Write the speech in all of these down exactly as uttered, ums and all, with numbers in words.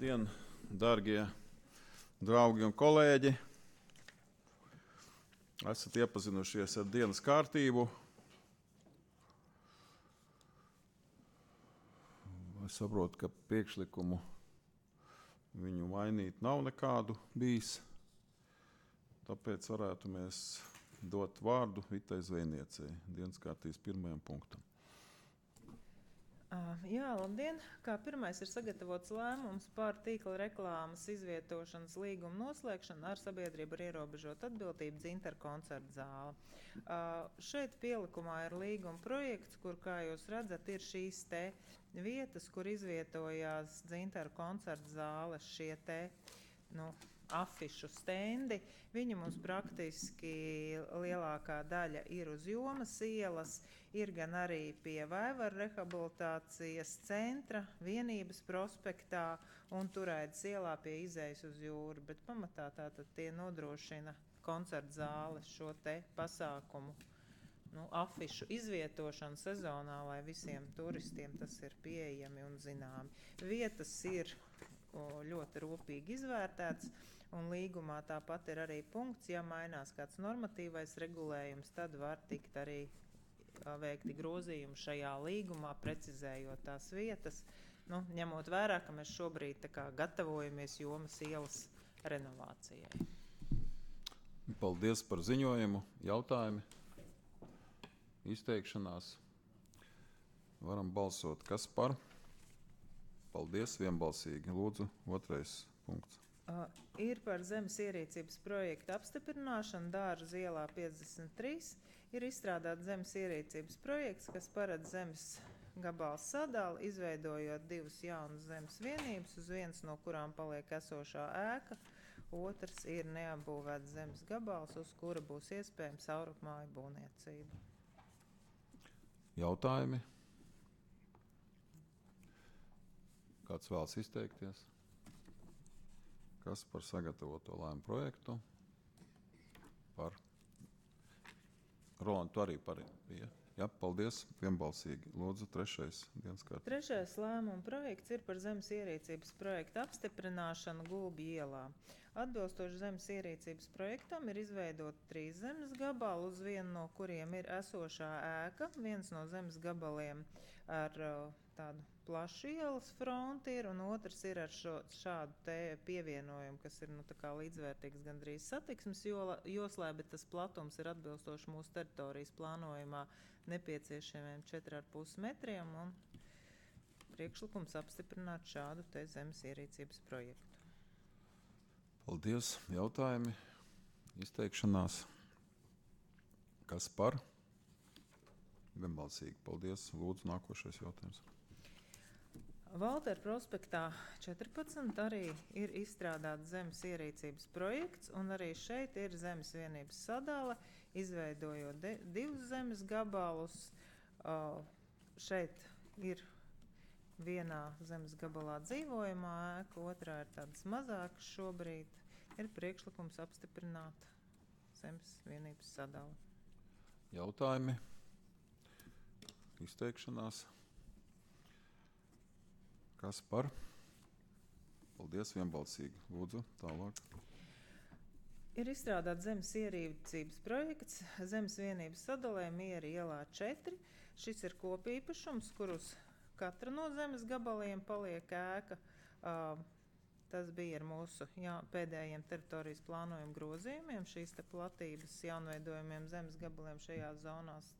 Labdien, dārgie draugi un kolēģi! Esat iepazinušies ar dienas kārtību. Es saprotu, ka priekšlikumu viņu mainīt nav nekādu bijis. Tāpēc varētu mēs dot vārdu Vitai Zvejniecei, dienas kārtības pirmajam punktam. Uh, jā, labdien! Kā pirmais ir sagatavots lēmums par tīkla reklāmas izvietošanas līgumu noslēgšanu ar sabiedrību ar ierobežotu atbildību Dzintaru koncerta zāle. Uh, šeit pielikumā ir līguma projekts, kur, kā jūs redzat, ir šīs te vietas, kur izvietojās Dzintaru koncerta zāles šie te, nu, afišu stendi. Viņi mums praktiski lielākā daļa ir uz Jomas ielas, ir gan arī pie Vaivaru rehabilitācijas centra, Vienības prospektā un Turaidas ielā pie izejas uz jūru, bet pamatā tātad tie nodrošina koncerta zāles šo te pasākumu, nu, afišu izvietošanu sezonā, lai visiem turistiem tas ir pieejami un zināmi. Vietas ir o, ļoti rūpīgi izvērtēts, un līgumā tāpat ir arī punkts, ja mainās kāds normatīvais regulējums, tad var tikt arī veikti grozījumi šajā līgumā, precizējot tās vietas, nu, ņemot vērā, ka mēs šobrīd tā kā gatavojamies Jomas ielas renovācijai. Paldies par ziņojumu, jautājumi, izteikšanās. Varam balsot, kas par? Paldies, vienbalsīgi. Lūdzu, otrais punkts. Uh, ir par zemes ierīcības projektu apstiprināšanu Dārzu ielā piecdesmit trīs. Ir izstrādāts zemes ierīcības projekts, kas paredz zemes gabalu sadali, izveidojot divas jaunas zemes vienības, uz vienas no kurām paliek esošā ēka, otrs ir neapbūvēts zemes gabals, uz kura būs iespējams saurupmāju būvniecība. Jautājumi? Kāds vēlas izteikties? Kas par sagatavoto lēmumu projektu? Par. Roland, tu arī par bija. Jā, paldies, vienbalsīgi. Lūdzu, trešais dienas kārtības. Trešais lēmuma projekts ir par zemes ierīcības projektu apstiprināšanu Gulbju ielā. Atbilstoši zemes ierīcības projektam ir izveidot trīs zemes gabali, uz vienu no kuriem ir esošā ēka. Viens no zemes gabaliem ar tādu plašu ielas fronti ir, un otrs ir ar šo, šādu te pievienojumu, kas ir, nu, tā kā līdzvērtīgs gandrīz satiksmes joslē, bet tas platums ir atbilstoši mūsu teritorijas plānojumā nepieciešamiem četri ar pus metriem, un priekšlikums apstiprināt šādu te zemes ierīcības projektu. Paldies. Jautājumi, izteikšanās. Kas par? Vienbalsīgi. Paldies. Lūdzu, nākošais jautājums. Valtera prospektā četrpadsmit arī ir izstrādāts zemes ierīcības projekts, un arī šeit ir zemes vienības sadale, izveidojot de, divus zemes gabalus. Uh, šeit ir vienā zemes gabalā dzīvojamā ēka, otrā ir tādas mazākas šobrīd. Ir priekšlikums apstiprināt zemes vienības sadali. Jautājumi, izteikšanās. Kas par? Paldies, vienbalsīgi. Lūdzu, tālāk. Ir izstrādāts zemes ierīcības projekts zemes vienības sadalē Miera ielā četri. Šis ir kopīpašums, kur uz katra no zemes gabaliem paliek ēka. Uh, tas bija ar mūsu jā, pēdējiem teritorijas plānojumu grozījumiem. Šīs te platības jaunveidojumiem zemes gabaliem šajās zonās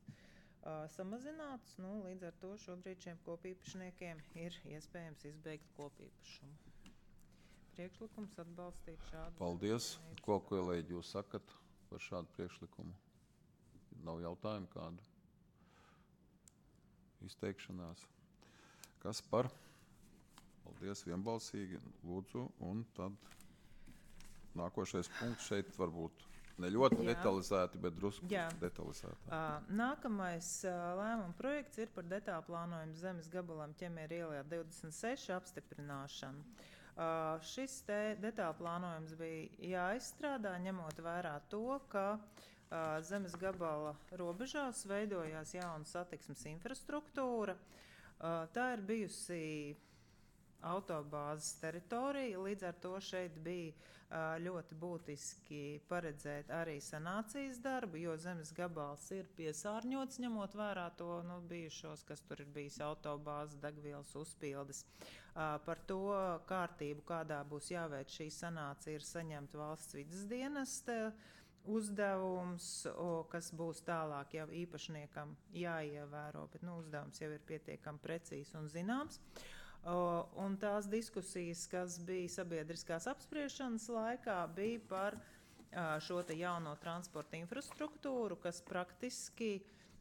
Uh, samazināts, nu, līdz ar to šobrīd šiem kopīpašniekiem ir iespējams izbeigt kopīpašumu. Priekšlikums atbalstīt šādu. Paldies. Ko, kolēģi, jūs sakat par šādu priekšlikumu? Nav jautājumu kādu? Izteikšanās. Kas par? Paldies, vienbalsīgi. Lūdzu, un tad nākošais punkts šeit varbūt. Ne ļoti Jā. detalizēti, bet drusku Jā. detalizēti. Uh, nākamais uh, lēmuma projekts ir par detālu plānojumu zemes gabalam Ķemēra ielā divdesmit seši apstiprināšanu. Uh, šis te detālu plānojums bija jāizstrādā, ņemot vērā to, ka uh, zemes gabala robežās veidojās jauna satiksmes infrastruktūra. Uh, tā ir bijusi autobāzes teritorija, līdz ar to šeit bija uh, ļoti būtiski paredzēt arī sanācijas darbu, jo zemes gabals ir piesārņots, ņemot vērā to nu, bijušos, kas tur ir bijis autobāzes, degvielas uzpildes. Uh, par to kārtību, kādā būs jāveic šī sanācija, ir saņemt valsts vides dienesta uzdevums, o, kas būs tālāk jau īpašniekam jāievēro, bet nu, uzdevums jau ir pietiekami precīzs un zināms. O, un tās diskusijas, kas bija sabiedriskās apspriešanas laikā, bija par a, šo te jauno transporta infrastruktūru, kas praktiski,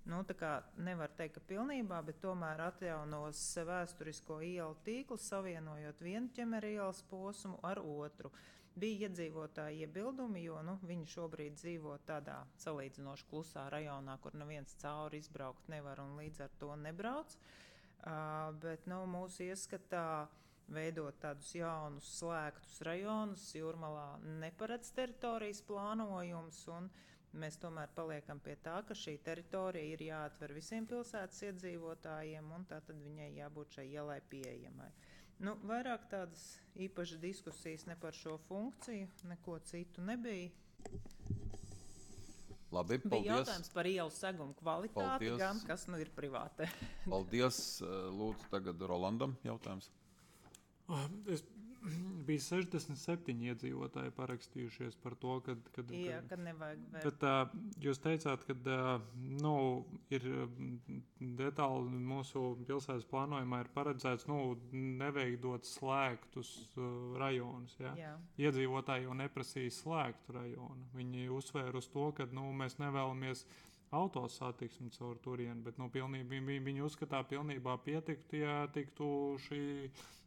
nu, tā kā nevar teikt, ka pilnībā, bet tomēr atjaunos vēsturisko ielu tīklu, savienojot vienu ķemeru ielas posmu ar otru. Bija iedzīvotāji iebildumi, jo nu, viņi šobrīd dzīvo tādā salīdzinoši klusā rajonā, kur neviens cauri izbraukt nevar un līdz ar to nebrauc. Uh, bet nu, mūsu ieskatā veidot tādus jaunus slēgtus rajonus Jūrmalā neparedz teritorijas plānojums, un mēs tomēr paliekam pie tā, ka šī teritorija ir jāatver visiem pilsētas iedzīvotājiem, un tā tad viņai jābūt šai ielai pieejamai. Nu, vairāk tādas īpašas diskusijas ne par šo funkciju, neko citu nebija. Labi, paldies. Bija jautājums par ielu segumu kvalitāti, paldies. Gan kas nu ir privāte. Paldies. Lūdzu, tagad Rolandam jautājums. Es bija sešdesmit septiņi iedzīvotāji parakstījušies par to, kad, kad, Jā, kad, kad nevajag vēl. Bet uh, jūs teicāt, ka uh, nu, ir detāli mūsu pilsētas plānojumā ir paredzēts nu, neveidot slēgtus uh, rajonus. Ja? Jā. Iedzīvotāji jau neprasīja slēgtu rajonu. Viņi uzsvēra uz to, ka nu, mēs nevēlamies autosatiksmi caur turieni, bet nu, pilnībā, viņi, viņi uzskatā pilnībā pietiktu, ja tiktu šī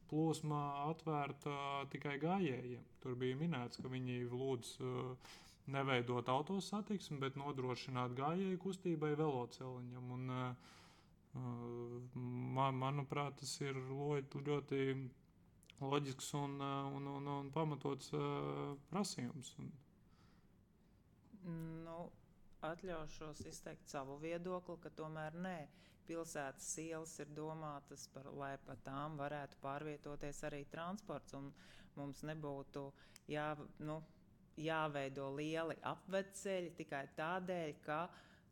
plūsma atvērta tikai gājējiem. Tur bija minēts, ka viņi lūdz uh, neveidot autosatiksmi, bet nodrošināt gājēju kustībai veloceliņam. Un, uh, man, manuprāt, tas ir ļoti, ļoti loģisks un, un, un, un pamatots uh, prasījums. Nu, atļaušos izteikt savu viedokli, ka tomēr nē. Pilsētas ielas ir domātas, par, lai pa tām varētu pārvietoties arī transports, un mums nebūtu jā, nu, jāveido lieli apvedceļi tikai tādēļ, ka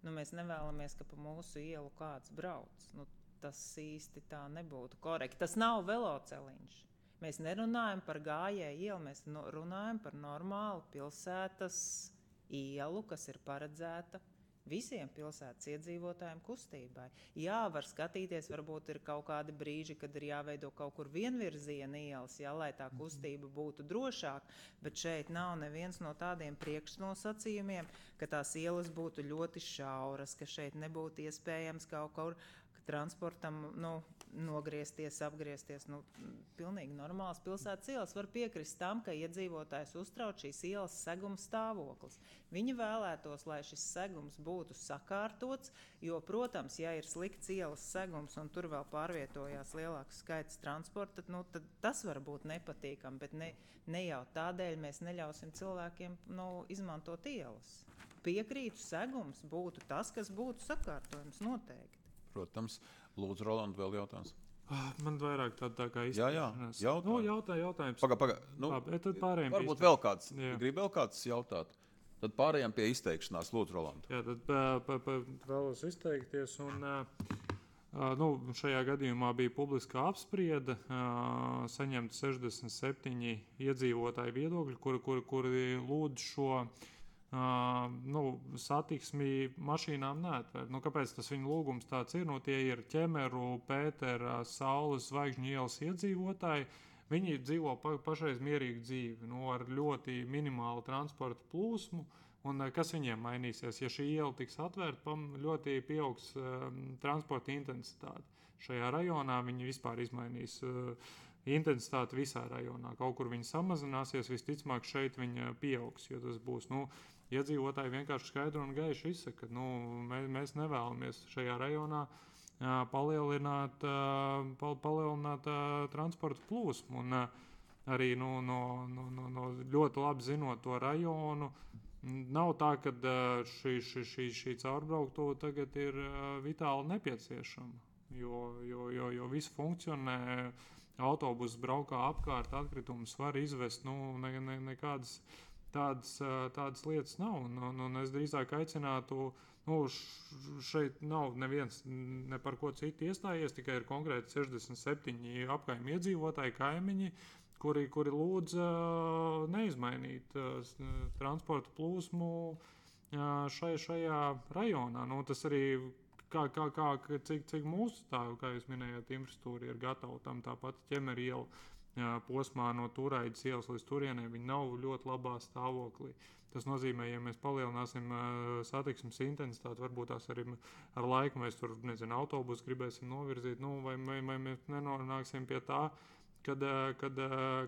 nu, mēs nevēlamies, ka pa mūsu ielu kāds brauc. Nu, tas īsti tā nebūtu korekti. Tas nav veloceliņš. Mēs nerunājam par gājēju ielu, mēs runājam par normālu pilsētas ielu, kas ir paredzēta visiem pilsētas iedzīvotājiem kustībai. Jā, var skatīties, varbūt ir kaut kādi brīži, kad ir jāveido kaut kur vienvirziena ielas, jā, lai tā kustība būtu drošāk, bet šeit nav neviens no tādiem priekšnosacījumiem, ka tās ielas būtu ļoti šauras, ka šeit nebūtu iespējams kaut kur transportam nu, nogriezties, apgriezties. Nu, pilnīgi normāls pilsētas ielas. Var piekrist tam, ka iedzīvotājs uztrauc šīs ielas seguma stāvoklis. Viņi vēlētos, lai šis segums būtu sakārtots, jo, protams, ja ir slikts ielas segums un tur vēl pārvietojās lielāks skaits transporta, nu, tad tas var būt nepatīkam, bet ne, ne jau tādēļ mēs neļausim cilvēkiem nu, izmantot ielas. Piekrītu, segums būtu tas, kas būtu sakārtojums noteikti. Protams. Lūdzu, Roland, vēl jautājums. Man vairāk tā, tā kā izteikšanās. Jā, jā. Jautā. Nu, jautā, jautājums. Paga, paga. Nu, Labi, tad pārējiem varbūt vēl kāds. Grib vēl kāds jautāt. Tad pārējām pie izteikšanās. Lūdzu, Roland. Jā, tad pa, pa, pa, vēlos izteikties. Un, uh, nu, šajā gadījumā bija publiskā apspriede. Uh, saņemt sešdesmit septiņi iedzīvotāji viedokļi, kuri, kuri, kuri lūdz šo Uh, nu, satiksmi mašīnām neatvērt. Nu, kāpēc tas viņa lūgums tāds ir? Nu, tie ir Ķemeru, Pētera, Saules, Zvaigžņu ielas iedzīvotāji. Viņi dzīvo pa, pašreiz mierīgu dzīvi, nu, ar ļoti minimālu transporta plūsmu. Un kas viņiem mainīsies? Ja šī iela tiks atvērta, ļoti pieaugs um, transporta intensitāte. Šajā rajonā viņi vispār izmainīs uh, intensitāti visā rajonā. Kaut kur viņi samazināsies, visticamāk šeit viņa pieaugs, jo tas būs, nu, iedzīvotāji vienkārši skaidri un gaiši izsaka, ka nu, mēs, mēs nevēlamies šajā rajonā uh, palielināt, uh, pal, palielināt uh, transporta plūsmu. Un uh, arī nu, no, no, no, no ļoti labi zinot to rajonu, nav tā, ka uh, šī, šī, šī, šī caurbrauktuve tagad ir uh, vitāli nepieciešama, jo, jo, jo, jo viss funkcionē autobusu braukā apkārt, atkritumus var izvest, nu, ne, ne, nekādas tādas, tādas lietas nav. Un, un, un es drīzāk aicinātu, nu, šeit nav neviens ne par ko citu iestājies, tikai ir konkrēti sešdesmit septiņi apkaimi iedzīvotāji, kaimiņi, kuri, kuri lūdz neizmainīt transporta plūsmu šai, šajā rajonā. Nu, tas arī Kā, kā, kā, cik, cik mūsu tā, kā jūs minējāt, infrastruktūra ir gatava tam, tāpat ķemeri iela posmā no Turaidas ielas līdz turienei, viņi nav ļoti labā stāvoklī. Tas nozīmē, ja mēs palielināsim satiksmes intensitāti, varbūt tās arī ar laiku mēs tur, nezinu, autobusu gribēsim novirzīt, nu, vai, vai, vai mēs nenonāksim pie tā, kad, kad,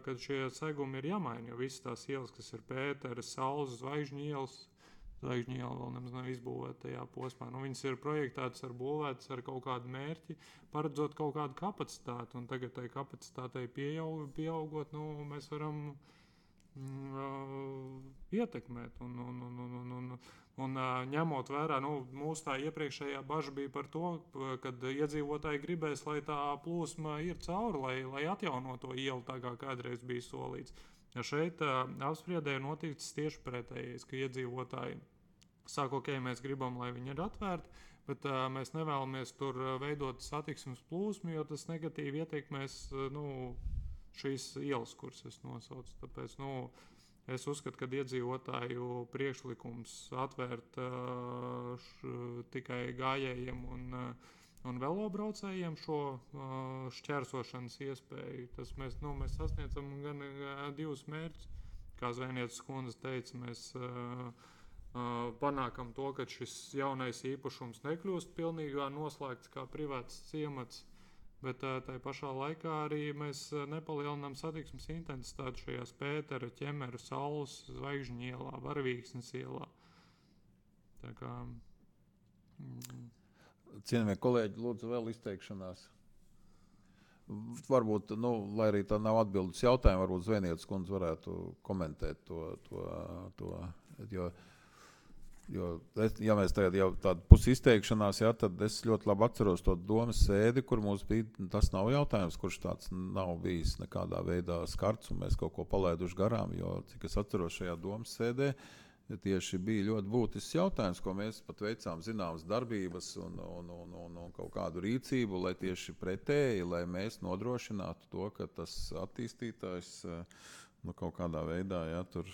kad šie segumi ir jāmaina, jo visas tās ielas, kas ir Pētera, Saules, Zvaigžņu ielas, Zvaigžņu iela vēl nemaz nav izbūvēta tajā posmā. Nu, viņas ir projektētas ar būvētas ar kaut kādu mērķi, paredzot kaut kādu kapacitāti, un tagad tai kapacitātei pieaug, pieaugot, nu, mēs varam mm, uh, ietekmēt. Un, un, un, un, un, un, un uh, ņemot vērā, nu, mūsu tā iepriekšējā baža bija par to, kad iedzīvotāji gribēs, lai tā plūsma ir cauri, lai, lai atjauno to ielu tā kā kādreiz bija solīts. Ja šeit uh, apspriedē ir noticis tieši pretējais, ka iedzīvotāji saka, ok, mēs gribam, lai viņi ir atvērti, bet uh, mēs nevēlamies tur veidot satiksmes plūsmu, jo tas negatīvi ietekmēs uh, nu, šīs ielas, kuras es nosaucu. Tāpēc nu, es uzskatu, ka iedzīvotāju priekšlikums atvērt uh, š, tikai gājējiem un uh, un velobraucējiem šo uh, šķērsošanas iespēju. Tas mēs, nu, mēs sasniedzam gan uh, divus mērķus. Kā Zvejnieces kundze teica, mēs uh, uh, panākam to, ka šis jaunais īpašums nekļūst pilnīgā noslēgts kā privāts ciemats, bet uh, tai pašā laikā arī mēs uh, nepalielinām satiksmes intensitāti šajās Pētera, Ķemera, Saules, Zvaigžņu ielā, Varavīksnes ielā. Tā kā... Mm, Cienījamie kolēģi, lūdzu vēl izteikšanās. Varbūt, nu, lai arī tā nav atbildes jautājumu, varbūt Zvejnieces kundze varētu komentēt to, to, to jo, jo es, ja mēs tagad jau tādu pusi izteikšanās, jā, tad es ļoti labi atceros to domas sēdi, kur mums bija, tas nav jautājums, kurš tāds nav bijis nekādā veidā skarts, un mēs kaut ko palaiduši garām, jo, cik es atceros šajā domas sēdē, tieši bija ļoti būtisks jautājums, ko mēs pat veicām zināmas darbības un, un, un, un, un kaut kādu rīcību, lai tieši pretēji, lai mēs nodrošinātu to, ka tas attīstītājs nu, kaut kādā veidā jā, tur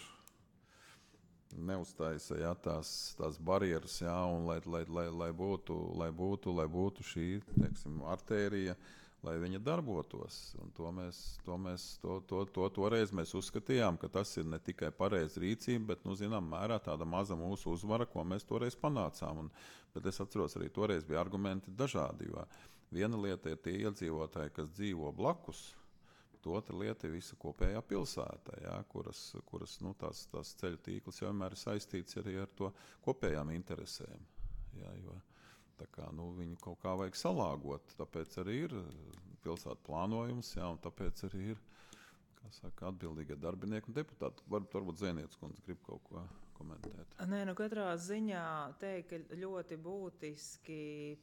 neuztaisa jā, tās, tās barjeras, jā, un lai, lai, lai, lai, būtu, lai, būtu, lai būtu šī, teiksim, artērija, lai viņa darbotos. Un to mēs, to mēs, to, to, to toreiz mēs uzskatījām, ka tas ir ne tikai pareiza rīcība, bet, nu, zinām, mērā tāda maza mūsu uzvara, ko mēs toreiz panācām. Un, bet es atceros, arī toreiz bija argumenti dažādi, jo viena lieta ir tie iedzīvotāji, kas dzīvo blakus, bet otra lieta ir visa kopējā pilsēta, jā, kuras, kuras nu, tās, tās ceļu tīkls jau vienmēr ir saistīts arī ar to kopējām interesēm. Jā, jo tā kā, nu, viņu kaut kā vajag salāgot, tāpēc arī ir pilsētu plānojums, jā, un tāpēc arī ir, kā saka, atbildīgie darbinieki un deputāti. Varbūt, varbūt Zvejnieces kundze grib kaut ko komentēt. Nē, nu katrā ziņā teikt, ka ļoti būtiski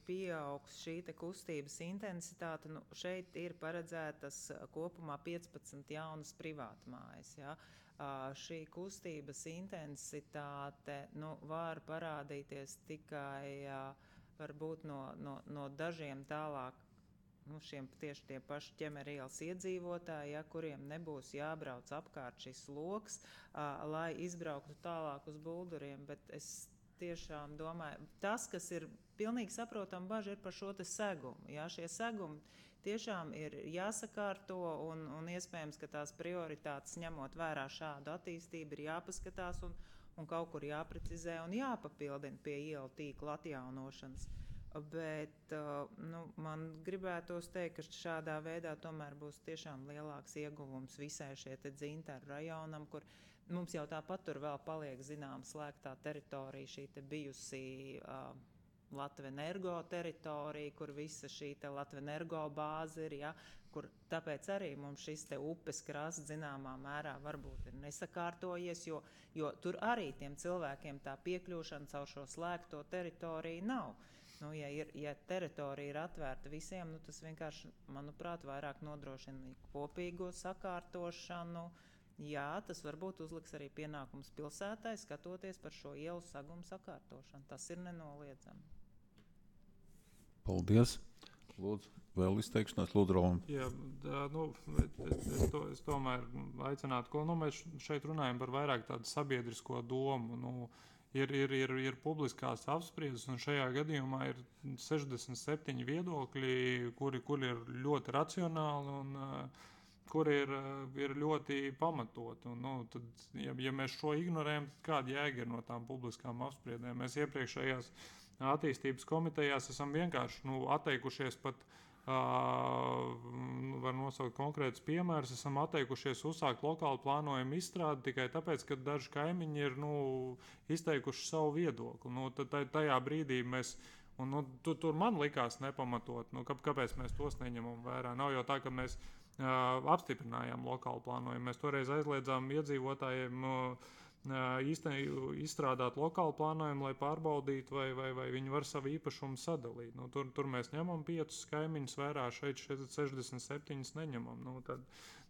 pieaugs šī te kustības intensitāte. Nu, šeit ir paredzētas kopumā piecpadsmit jaunas privātmājas, jā. Uh, šī kustības intensitāte, nu, var parādīties tikai uh, varbūt no, no, no dažiem tālāk, nu, šiem tieši tie paši ķemeri ielas iedzīvotāji, ja, kuriem nebūs jābrauc apkārt šis loks, uh, lai izbrauktu tālāk uz Bulduriem, bet es tiešām domāju, tas, kas ir pilnīgi saprotam baži, ir par šo te segumu, ja, šie segumi tiešām ir jāsakārto un, un iespējams, ka tās prioritātes ņemot vērā šādu attīstību ir jāpaskatās un un kaut kur jāprecizē un jāpapildina pie ielu tīkla atjaunošanas. Bet nu, man gribētos teikt, ka šādā veidā tomēr būs tiešām lielāks ieguvums visai šie te dzintaru rajonam, kur mums jau tāpat tur vēl paliek zinām slēgtā teritorija, šī te bijusi uh, Latvenergo teritorija, kur visa šī te Latvenergo bāze ir, ja, kur tāpēc arī mums šis te upes krasts zināmā mērā varbūt ir nesakārtojies, jo, jo tur arī tiem cilvēkiem tā piekļūšana caur šo slēgto teritoriju nav. Nu, ja, ir, ja teritorija ir atvērta visiem, nu, tas vienkārši, manuprāt, vairāk nodrošina kopīgo sakārtošanu. Jā, tas varbūt uzliks arī pienākums pilsētai skatoties par šo ielu sagumu sakārtošanu. Tas ir nenoliedzami. Paldies. Lūdzu, vēl izteikšanās, lūdzu, Roland. Jā, tā, nu, es, es, to, es tomēr aicinātu, ko nu, mēs šeit runājam par vairāk tādu sabiedrisko domu. Nu, Ir, ir, ir, ir publiskās apspriedzes, un šajā gadījumā ir sešdesmit septiņi viedokļi, kuri, kuri ir ļoti racionāli un uh, kuri ir, uh, ir ļoti pamatoti. Un, nu, tad, ja, ja mēs šo ignorējam, tad kāda jēga ir no tām publiskām apspriedēm? Mēs iepriekšējās attīstības komitejās esam vienkārši nu, atteikušies pat. Uh, var nosaukt konkrētus piemērus. Esam atteikušies uzsākt lokālu plānojumu izstrādi tikai tāpēc, ka daži kaimiņi ir nu, izteikuši savu viedokli. Nu, tajā brīdī mēs, un, nu, tu, tur man likās nepamatot, nu, kāpēc mēs tos neņemam vērā. Nav jau tā, ka mēs uh, apstiprinājām lokālu plānojumu. Mēs toreiz aizliedzām iedzīvotājiem uh, Īsten, izstrādāt lokālu plānojumu, lai pārbaudītu, vai, vai, vai viņi var savu īpašumu sadalīt. Nu, tur, tur mēs ņemam piecus kaimiņus vērā, šeit, šeit sešdesmit septiņus neņemam. Nu, tad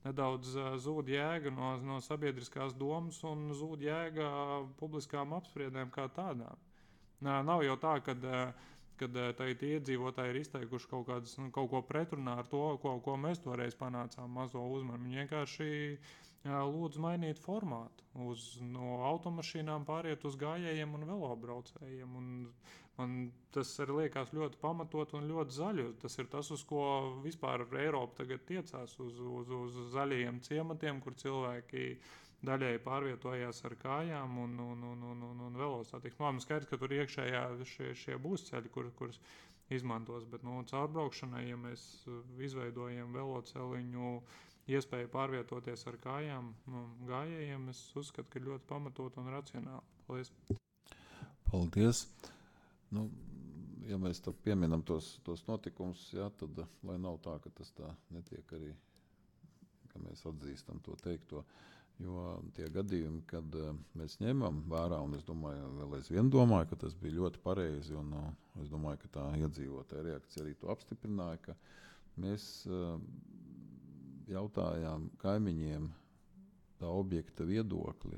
nedaudz uh, zūd jēga no, no sabiedriskās domas un zūd jēga publiskām apspriedēm kā tādām. Nā, nav jau tā, kad, kad tagad iedzīvotāji ir izteikuši kaut, kādas, nu, kaut ko pretrunā ar to, ko, ko mēs toreiz panācām mazo uzmanu. Viņi vienkārši lūdzu mainīt formātu, uz no automašīnām pāriet uz gājējiem un velobraucējiem. Un man tas arī liekas ļoti pamatot un ļoti zaļi. Tas ir tas, uz ko vispār Eiropa tagad tiecās, uz, uz, uz zaļajiem ciematiem, kur cilvēki daļēji pārvietojās ar kājām un, un, un, un, un, un velosatiksmi. Man skaidrs, ka tur iekšējā šie, šie būs ceļi, kur, kurus izmantos, bet no caurbraukšanai, ja mēs izveidojam veloceliņu, iespēju pārvietoties ar kājām nu, gājējiem, es uzskatu, ka ir ļoti pamatot un racionāli. Paldies. Paldies. Nu, ja mēs pieminam tos, tos notikumus, jā, tad lai nav tā, ka tas tā netiek arī, ka mēs atzīstam to teikto. Jo tie gadījumi, kad uh, mēs ņemam vērā, un es domāju, vēl aizvien domāju, ka tas bija ļoti pareizi, un uh, es domāju, ka tā iedzīvotāja reakcija arī to apstiprināja, ka mēs uh, jautājām kaimiņiem tā objekta viedokli,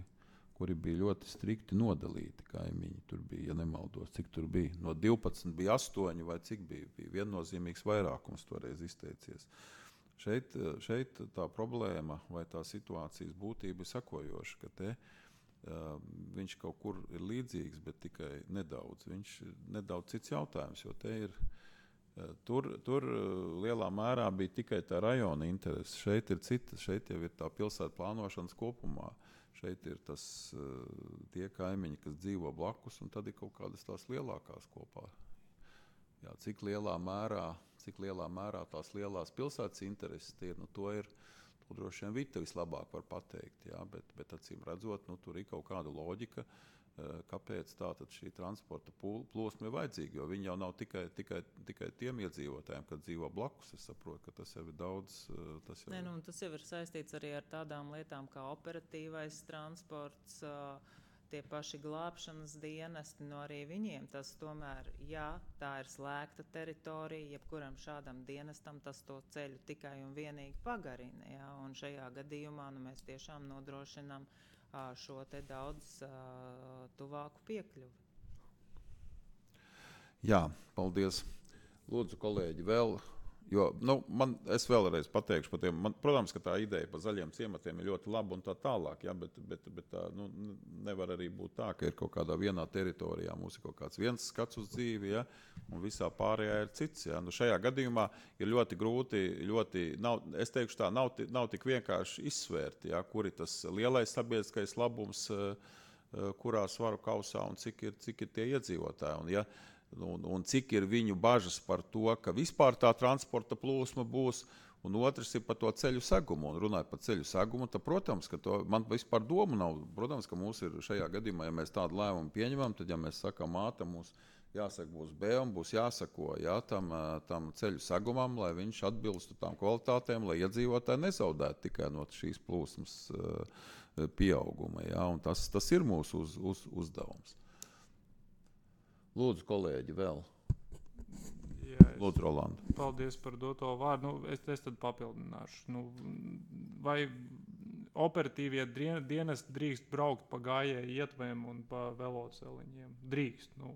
kuri bija ļoti strikti nodalīti kaimiņi. Tur bija, ja nemaldos, cik tur bija. No divpadsmit bija astoņi vai cik bija. Bija viennozīmīgs vairākums toreiz izteicies. Šeit, šeit tā problēma vai tā situācijas būtība ir sakojoša, ka te uh, viņš kaut kur ir līdzīgs, bet tikai nedaudz. Viņš ir nedaudz cits jautājums, jo te ir Tur, tur lielā mērā bija tikai tā rajona interese. Šeit ir cita, šeit jau ir tā pilsētu plānošanas kopumā. Šeit ir tas, tie kaimiņi, kas dzīvo blakus, un tad ir kaut kādas tās lielākās kopā. Jā, cik lielā mērā, cik lielā mērā tās lielās pilsētas intereses ir, nu to ir, to droši vien Vita vislabāk var pateikt, jā, bet, bet acīm redzot, nu tur ir kaut kāda loģika, kāpēc tātad šī transporta plūsma ir vajadzīga, jo viņi jau nav tikai, tikai, tikai tiem iedzīvotājiem, kad dzīvo blakus. Es saprotu, ka tas jau ir daudz. Tas jau, Nē, nu, tas jau ir saistīts arī ar tādām lietām kā operatīvais transports, tie paši glābšanas dienesti, no arī viņiem tas tomēr, jā, tā ir slēgta teritorija, jebkuram šādam dienestam tas to ceļu tikai un vienīgi pagarina, jā, un šajā gadījumā nu, mēs tiešām nodrošinām šo te daudz uh, tuvāku piekļuvi. Jā, paldies. Lūdzu, kolēģi, vēl, jo, nu, man, es vēlreiz pateikšu par tiem, man, protams, ka tā ideja par zaļiem ciematiem ir ļoti laba un tā tālāk, ja, bet, bet, bet tā, nu, nevar arī būt tā, ka ir kaut kādā vienā teritorijā mums ir kaut kāds viens skats uz dzīvi, ja, un visā pārējā ir cits. Ja. Nu, šajā gadījumā ir ļoti grūti, ļoti, nav, es teikšu tā, nav, nav tik vienkārši izsvērt, ja, kur ir tas lielais sabiedriskais labums, kurā svaru kausā un cik ir, cik ir tie iedzīvotāji. Un, ja, Un, un cik ir viņu bažas par to, ka vispār tā transporta plūsma būs, un otrs ir par to ceļu segumu. Un runājot par ceļu segumu, tad, protams, ka to, man vispār domu nav, protams, ka mums ir šajā gadījumā, ja mēs tādu lēmumu pieņemam, tad, ja mēs sakam A, tad mums jāsaka būs B, un būs jāsako jā, tam, tam ceļu segumam, lai viņš atbilstu tām kvalitātēm, lai iedzīvotāji nezaudētu tikai no šīs plūsmas uh, pieauguma. Jā, un tas, tas ir mūsu uz, uz, uzdevums. Lūdzu, kolēģi, vēl. Jā, es, Lūdzu, Rolanda. paldies par doto vārdu. Nu, es, es tad papildināšu. Nu, vai operatīvie dien- dienesti drīkst braukt pa gājēju ietvēm un pa veloceliņiem? Drīkst. Nu.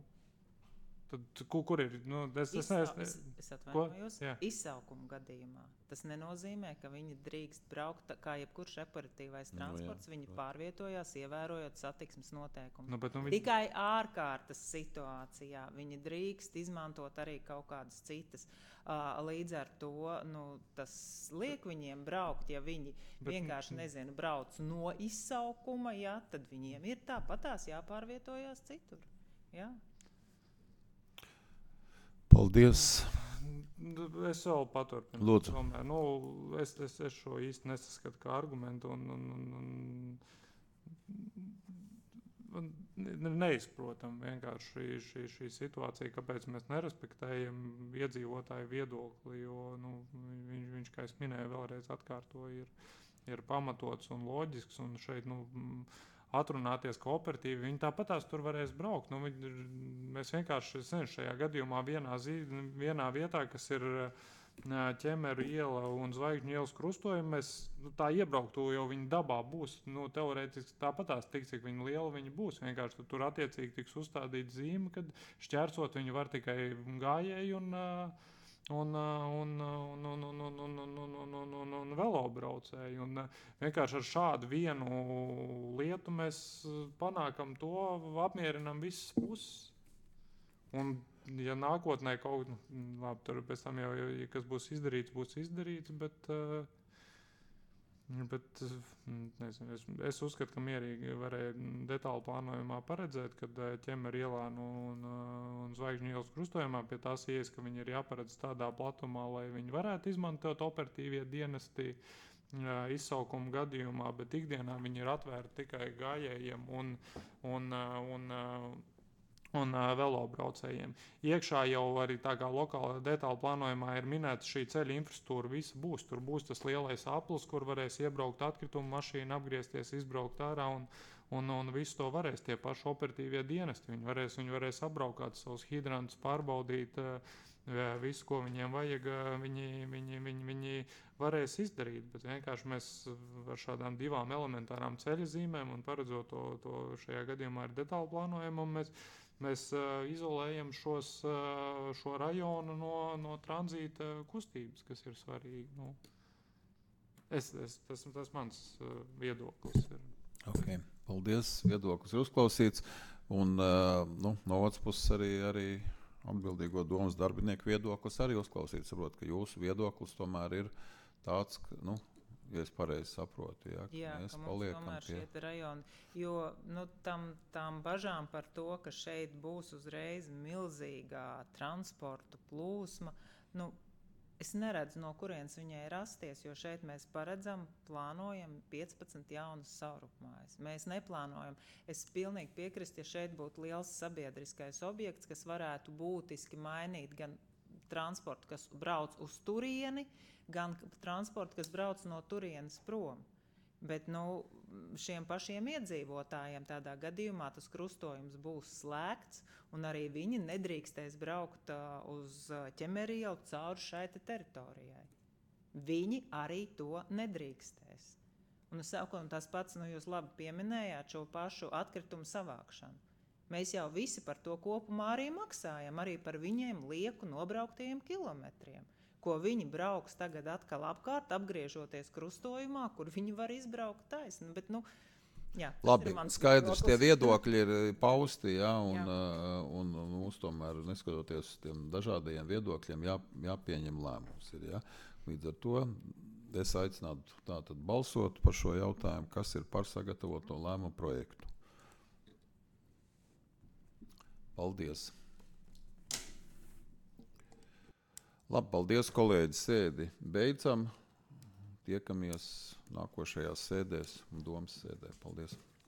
Tad, kur, kur ir? Nu, es, es, Izsau, es, es, es atvainojos. Jā. Izsaukuma gadījumā. Tas nenozīmē, ka viņi drīkst braukt tā, kā jebkurš operatīvais Nu, transports. jā, viņi protams. pārvietojās, ievērojot satiksmes noteikumus. Nu, bet, nu, viņi, Tikai ārkārtas situācijā viņi drīkst izmantot arī kaut kādas citas. Uh, līdz ar to nu, tas liek viņiem braukt, ja viņi Bet- vienkārši nezinu, brauc no izsaukuma, ja, tad viņiem ir tāpatās jāpārvietojās citur. Ja? Paldies. Es vēl paturpinu. Lūdzu. Tomēr, nu, es, es, es šo īsti nesaskatu kā argumentu un, un, un, un, un ne- neizprotam vienkārši šī, šī, šī situācija, kāpēc mēs nerespektējam iedzīvotāju viedokli, jo nu, viņš, viņš, kā es minēju, vēlreiz atkārtoju, ir, ir pamatots un loģisks, un šeit, nu, atrunāties kooperatīvi, viņi tāpatās tur varēs braukt. Nu, viņi, mēs vienkārši, es nezinu, šajā gadījumā vienā, zi, vienā vietā, kas ir Ķemeru iela un Zvaigžņu ielas krustojumi, mēs nu, tā iebrauktu, jo viņi dabā būs, nu, teorētiski tāpatās tik, cik viņi liela viņi būs. Vienkārši tur attiecīgi tiks uzstādīta zīme, kad šķērsot viņi var tikai gājēji un un, un, un, un, un, un, un, un, un, un, un, un velobraucēji. Un vienkārši ar šādu vienu lietu mēs panākam to, apmierinam visas puses. Un, ja nākotnē kaut kas, labi, tur pēc tam jau, ja kas būs izdarīts, būs izdarīts, bet, bet nezinu, es, es uzskatu, ka mierīgi varēja detāli plānojumā paredzēt, kad Ķemeru ielā nu, un, un Zvaigžņu ielas krustojumā pie tās ieejas, ka viņi ir jāparedz tādā platumā, lai viņi varētu izmantot operatīvie dienesti izsaukuma gadījumā, bet ikdienā viņi ir atvērti tikai gājējiem un, un, un, un un uh, velobraucējiem. Iekšā jau arī tā kā lokāla detāla plānojumā ir minēta šī ceļa infrastruktūra, visa būs. Tur būs tas lielais aplis, kur varēs iebraukt atkritumu mašīnu, apgriezties, izbraukt ārā un, un, un visu to varēs tie paši operatīvie dienesti. Viņi varēs, viņi varēs apbraukāt savus hidrantus, pārbaudīt uh, visu, ko viņiem vajag, uh, viņi, viņi, viņi, viņi varēs izdarīt. Bet vienkārši mēs ar šādām divām elementārām ceļa zīmēm un paredzot to, to šajā gadījumā ir detāla plānojumu, mēs Mēs uh, izolējam šos, uh, šo rajonu no, no tranzīta kustības, kas ir svarīgi. Nu, es, es, tas, tas mans uh, viedoklis ir. Okay. Paldies, viedoklis ir uzklausīts. Un uh, nu, no otras puses arī, arī atbildīgo domas darbinieku viedoklis arī uzklausīts. Saprot, ka jūsu viedoklis tomēr ir tāds, ka, nu, ja es pareizi saprotu, jā, ka Jā, mēs ka mums paliekam tomēr pie... šie rajoni, jo nu, tam, tām bažām par to, ka šeit būs uzreiz milzīgā transportu plūsma, nu, es neredzu, no kurienes viņai rasties, jo šeit mēs paredzam, plānojam piecpadsmit jaunas savrupmājas. Mēs neplānojam. Es pilnīgi piekrist, ja šeit būtu liels sabiedriskais objekts, kas varētu būtiski mainīt gan transportu, kas brauc uz turieni, gan transportu, kas brauc no turienes prom. Bet nu, šiem pašiem iedzīvotājiem tādā gadījumā tas krustojums būs slēgts, un arī viņi nedrīkstēs braukt uh, uz Ķemeru ielu cauri šai teritorijai. Viņi arī to nedrīkstēs. Un savukārt tas pats, nu jūs labi pieminējāt šo pašu atkritumu savākšanu. Mēs jau visi par to kopumā arī maksājam, arī par viņiem lieku nobrauktajiem kilometriem, ko viņi brauks tagad atkal apkārt, apgriežoties krustojumā, kur viņi var izbraukt taisni. Bet, nu, jā, Labi, skaidrs, tie viedokļi ir pausti, jā, un, Jā. uh, un, un mums tomēr, neskatoties uz tiem dažādajiem viedokļiem, jā, jāpieņem lēmums. Ir, jā. Līdz ar to es aicinātu tātad balsot par šo jautājumu, kas ir par sagatavoto lēmumu projektu. Paldies! Labi, paldies, kolēģi, sēdi beidzam. Tiekamies nākošajās sēdēs un domas sēdē. Paldies!